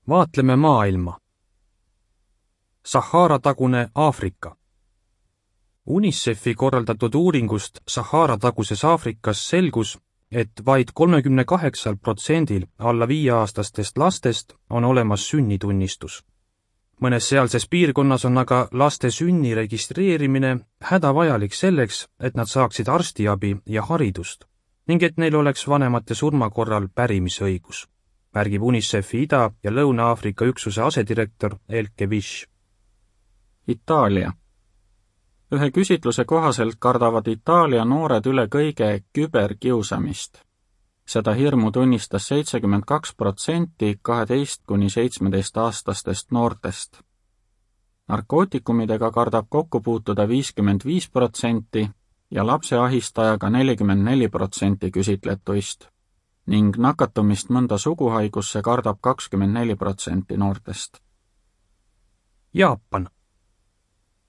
Vaatleme maailma. Sahara-tagune Aafrika. UNICEF-i korraldatud uuringust Sahara-taguses Aafrikas selgus, et vaid 38% alla 5-aastastest lastest on olemas sünnitunnistus. Mõnes sealses piirkonnas on aga laste sünni registreerimine hädavajalik selleks, et nad saaksid arstiabi ja haridust ning et neil oleks vanemate surma korral pärimisõigus, märgib UNICEF-i Ida- ja Lõuna-Aafrika üksuse asedirektor Elke Vish. Itaalia. Ühe küsitluse kohaselt kardavad Itaalia noored üle kõige küberkiusamist. Seda hirmu tunnistas 72% 12–17-aastastest noortest. Narkootikumidega kardab kokku puutuda 55% ja lapse ahistajaga 44% küsitletuist ning nakatumist mõnda suguhaigusse kardab 24% noortest. Jaapan.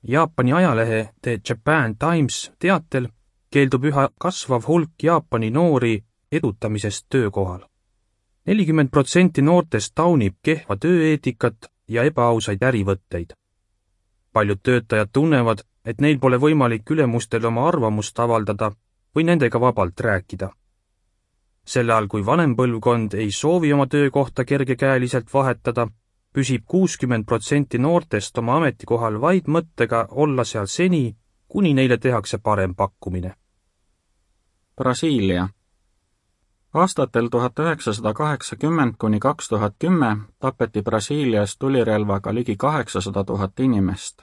Jaapani ajalehe The Japan Times teatel keeldub üha kasvav hulk Jaapani noori edutamisest töökohal. 40% noortest taunib kehva tööeetikat ja ebaausaid ärivõtteid. Paljud töötajad tunnevad, et neil pole võimalik ülemustel oma arvamust avaldada või nendega vabalt rääkida. Sel ajal, kui vanem põlvkond ei soovi oma töökohta kergekäeliselt vahetada, püsib 60% noortest oma ametikohal vaid mõttega olla seal seni, kuni neile tehakse parem pakkumine. Brasiilia. Aastatel 1980–2010 tapeti Brasiilias tulirelvaga ligi 800 000 inimest.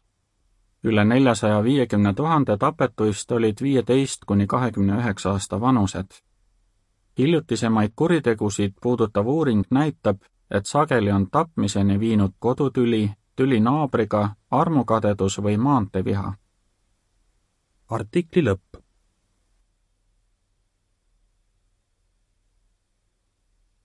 Üle 450 000 tapetuist olid 15–29 aasta vanused. Hiljutisemaid kuritegusid puudutav uuring näitab, et sageli on tapmiseni viinud kodutüli, tüli naabriga, armukadedus või maanteviha. Artikli lõpp.